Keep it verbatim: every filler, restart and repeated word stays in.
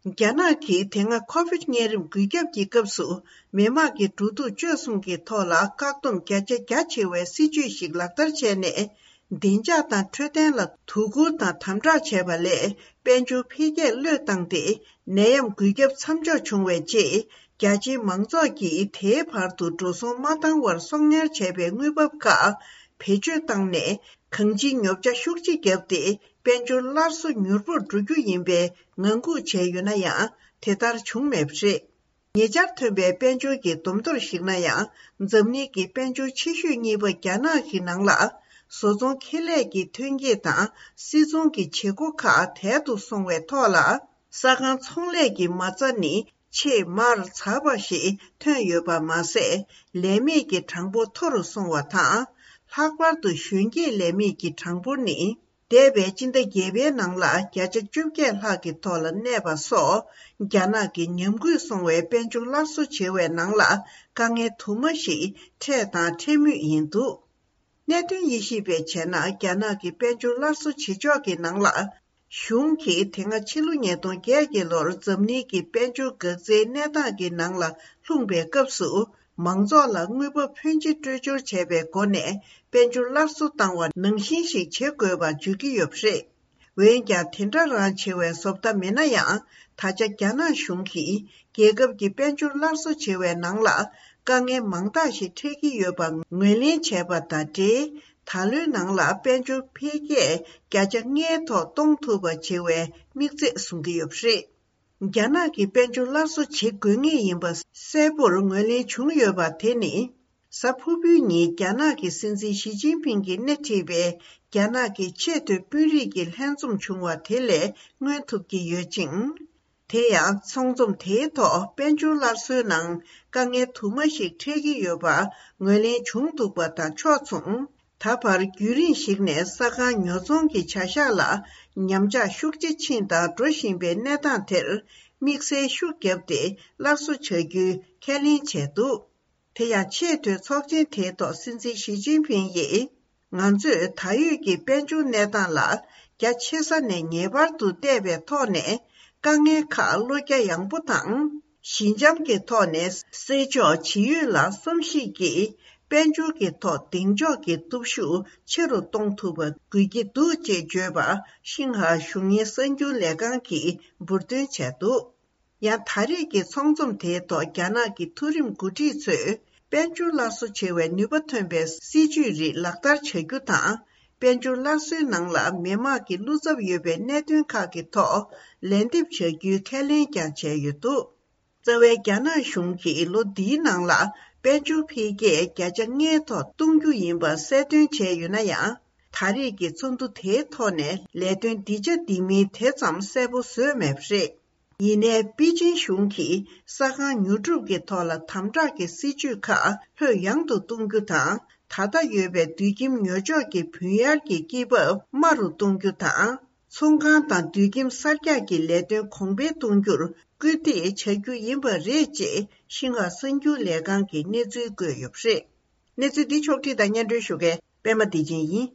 རྒྱ་ནག་གིས་དེ་སྔ་ཁོ་བིད་གཉན་རིམས་འགོས་ཁྱབ་ཀྱི་སྐབས་སུ། མི་དམངས་ཀྱི་འགྲོ་འདུག་སྤྱོད་གསུམ་གྱི་ཐོག་ལ་བཀག་སྡོམ་བརྒྱ་ཆ་བརྒྱ་བྱེད་པའི་སྲིད་ཇུས་ཤིག་ལག་བསྟར་བྱས་ནས། བདེ་འཇགས་དང་འཕྲོད་བསྟེན་ལ་དོ་ཁུར་དང་དམ་དྲག་བྱས་པ་ལས། དཔལ་འབྱོར་འཕེལ་རྒྱས་བློས་བཏང་སྟེ། ནད་ཡམས་འགོས་ཁྱབ་མཚམས་འཇོག་བྱུང་བའི་རྗེས། རྒྱ་ཆེའི་མང་ཚོགས་ཀྱིས་དེའི་བར་དུ་འགྲོ་སོང་མ་བཏང་བར་གསོག་ཉར་བྱས་པའི་དངུལ་འབབ་ཁག་བེད་སྤྱོད་བཏང་ནས། གང་ཅིའི་ཉོ་ཆ་ཤུགས་ཆེ་བརྒྱབ་སྟེ། དཔལ་འབྱོར་སླར་གསོ་མྱུར་པོར་འགྲོ་རྒྱུ་ཡིན་པའི་ངང་སྒུག་བྱས་ཡོད་ན་ཡང་། དེ་ལྟར་བྱུང་མེད་པ་རེད། ཉེ་ཆར་ཐོན་པའི་དཔལ་འབྱོར་གྱི་བསྡོམས་ཐོར་གཞིགས་ན་ཡང་། འཛམ་གླིང་གི་དཔལ་འབྱོར་ཆེ་ཤོས་གཉིས་པ་རྒྱ་ནག་གི་ནང་ལ། བཟོ་ཚོང་ཁེ་ལས་ཀྱི་ཐོན་སྐྱེད་དང་། སིལ་ཚོང་གི་བྱེད་སྒོ་ཁག་དལ་དུ་སོང་བའི་ཐོག་ལ། ས་ཁང་ཚོང་ལས་ཀྱི་མ་རྩ་ནི་ཆེས་མར་ཚགས་པ་ཞིག་ཐོན་ཡོད་པ་མ་ཟད། ལས་མེད་ཀྱི་གྲངས་འབོར་མཐོ་རུ་སོང་བ་དང་། ལྷག་པར་དུ་གཞོན་སྐྱེས་ལས་མེད་ཀྱི་གྲངས་འབོར་ནི། འདས་པའི་སྤྱི་ཟླ་བརྒྱད་པའི་ནང་ལ་བརྒྱ་ཆ་བཅོ་བརྒྱད་ལྷག་གི་ཐོག་ལ་གནས་པ་སོགས། རྒྱ་ནག་གི་ཉམས་རྒུད་སོང་བའི་དཔལ་འབྱོར་སླར་གསོ་བྱེད་པའི་ནང་ལ། དཀའ་ངལ་དུ་མ་ཞིག་འཕྲད་དང་འཕྲད་མུས་ཡིན་འདུག་གནད་དོན་དབྱེ་ཞིབ་པས་བྱས་ན། རྒྱ་ནག་གི་དཔལ་འབྱོར་སླར་གསོ་བྱེད་ཕྱོགས་ཀྱི་ནང་ལ། གཞུང་གིས་དེ་སྔ་ཕྱི་ལོ་ཉིས་སྟོང་བརྒྱད་ཀྱི་ལོར་འཛམ་གླིང་གི་དཔལ་འབྱོར་འགག་རྩའི་གནས་སྟངས་ཀྱི་ནང་ལ་ལྷུང་པའི་སྐབས་སུ། མང་ཚོགས་ལ་དངུལ་འབབ་ཕོན་ཆེ་སྤྲོད་སྦྱོར་བྱས་པའི་སྒོ་ནས། དཔལ་འབྱོར་སླར་གསོ་བཏང་བ་ནང་བཞིན་ཞིག་བྱེད་དགོས་པ་བརྗོད་ཀྱི་ཡོད་པ་རེད། འོན་ཀྱང་། དེ་འདྲ་རང་བྱེད་པའི་བཟོ་ལྟ་མེད་ན་ཡང་། ད་ཆ་རྒྱ་ནག་གཞུང་གིས་རྒྱལ་ཁབ་ཀྱི་དཔལ་འབྱོར་སླར་གསོ་བྱེད་པའི་ནང་ལ། དཀའ་ངལ་མང་དག་ཞིག་འཕྲད་ཀྱི་ཡོད་པ་ངོས་ལེན་བྱས་པ་དང་འབྲེལ། ད་ལོའི་ནང་ལ་དཔལ་འབྱོར་འཕེལ་རྒྱས་བརྒྱ་ཆ་ལྔའི་ཐོག་གཏོང་ཐུབ་པ་བྱེད་པའི་དམིགས་ཚད་བཟུང་གི་ཡོད་པ་རེད། རྒྱ་ནག་གིས་དཔལ་འབྱོར་སླར་གསོ་བྱེད་དགོས་ངེས་ཡིན་པ་གསལ་པོར་ངོས་ལེན་བྱུང་ཡོད་པ་དེ་ནི། གཟའ་ཕུར་བུའི་ཉིན་རྒྱ་ནག་གི་སྲིད་འཛིན་ཞི་ཅིན་ཕིང་གིས་སྣེ་ཁྲིད་པའི་རྒྱ་ནག་གི་ཆེས་མཐོའི་དཔོན་རིགས་ཀྱི་ལྷན་འཛོམས་བྱུང་བ་དེ་ལས་མངོན་ཐུབ་ཀྱི་ཡོད་ཅིང་། དེ་ཡང་ཚོགས་འཛོམས་དེའི་ཐོག་དཔལ་འབྱོར་སླར་གསོའི་ནང་དཀའ་ངལ་དུ་མ་ཞིག་འཕྲད་ཀྱི་ཡོད་པ་ངོས་ལེན་བྱུང་འདུག་པ་དང་ཕྱོགས་མཚུངས། ད་བར་རྒྱུན་རིང་ཞིག་ནས་ས་ཁང་ཉོ་ཚོང་གི་བྱ་གཞག་ལ་ཉམས་ཆག་ཤུགས་ཆེ་ཕྱིན་དང་འགྲོ་བཞིན་པའི་གནས་སྟངས་དེར་དམིགས་བསལ་ཤུགས་བརྒྱབ་སྟེ་སླར་གསོ་བྱ་རྒྱུའི་ཁས་ལེན་བྱས་འདུག་དེ་ཡང་ཆེས་མཐོའི་ཚོགས་ཆེན་དེའི་ཐོག་སྲིད་འཛིན་ཞི་ཅིན་ཕིང་ཡིས། ང་ཚོས་ད་ཡོད་ཀྱི་དཔལ་འབྱོར་གནས་སྟངས་ལ་རྒྱ་ཆེ་ས་ནས་ངེས་པར་དུ་བལྟས་པའི་ཐོག་ནས། དཀའ་ངལ་ཁག་བློ་རྒྱ་ཡངས་པོ་དང་། ཞི་འཇམ་གྱི་ཐོག་ནས་སེལ་ཆོག་ཇི་ཡོད་ལ་བསམ་གཞིག་གིས། དཔལ་འབྱོར་གྱི་ཐོག་གདེང་འཇོག་གི་སྟོབས་ཤུགས་ཆེ་རུ་གཏོང་ཐུབ་པ་དགོས་ཀྱི་འདུག་ཅེས་བརྗོད་པ། ཤིན་ཧྭ་གཞུང་གཉེར་གསར་འགྱུར་ལས་ཁང་གིས་འབུར་འདོན་བྱས་འདུག་ཡང་ད་རེས་ཀྱི་ཚོགས་འཛོམས་དེའི་ཐོག་རྒྱ་ནག་གི་མཐོ་རིམ་འགོ་ཁྲིད་ཚོས། དཔལ་འབྱོར་སླར་གསོ་བྱེད་པའི་ནུས་པ་ཐོན་པའི་སྲིད་ཇུས་རིགས་ལག་བསྟར་བྱ་རྒྱུ་དང་། དཔལ་འབྱོར་སླར་གསོའི་ནང་ལ་མི་དམངས་ཀྱི་བློ་འཚབ་ཡོད་པའི་གནད་དོན་ཁག་གི་ཐོག་ལན་འདེབས་བྱ་རྒྱུའི་ཁས་ལེན་ཀྱང་བྱས་ཡོད་འདུག་རྩ་བའི་རྒྱ་ནག་གཞུང་གིས་ལོ་འདིའི་ནང་ལ་དཔལ་འབྱོར་འཕེལ་རྒྱས་བརྒྱ་ཆ་ལྔའི་ཐོག་གཏོང་རྒྱུ་ཡིན་པ་གསལ་སྟོན་བྱས་ཡོད་ན་ཡང་། ད་རེས་ཀྱི་ཚོགས་འདུ་དེའི་ཐོག་ནས་ལས་དོན་འདི་བྱ་འདི་མིན་དེ་ཙམ་གསལ་པོ་བཟོས་མེད་པ་རེད། ཡིན་ནའི་པེ་ཅིན་གཞུང་གིས་ས་ཁང་ཉོ་སྒྲུབ་ཀྱི་ཐོག་ལ་དམ་དྲག་གི་སྲིད་ཇུས་ཁག་ལྷོད་ཡངས་དུ་གཏོང་རྒྱུ་དང་། ད་ལྟ་ཡོད་པའི་དུད་ཁྱིམ་ཉོ་ཆོག་གི་བུན་གཡར་གྱི་སྐྱེད་འབབ་དམའ་རུ་གཏོང་རྒྱུ་དང་། ཚོང་ཁང་དང་དུད་ཁྱིམ་གསར་རྒྱག་གི་ལས་དོན་གོང་འཕེལ་གཏོང་རྒྱུར་སྐུལ་འདེད་བྱ་རྒྱུ་ཡིན་པ་རེད་ཅེས་ཤིན་ཧྭ་གསར་འགྱུར་ལས་ཁང་གིས་གནས་ཚུལ་བཀོད་ཡོད་པ་རེད། གནས་ཚུལ་འདི་ཕྱོགས་བསྒྲིགས་དང་སྙན་སྒྲོན་ཞུ་མཁན་པད་མ་བདེ་ཆེན་ཡིན།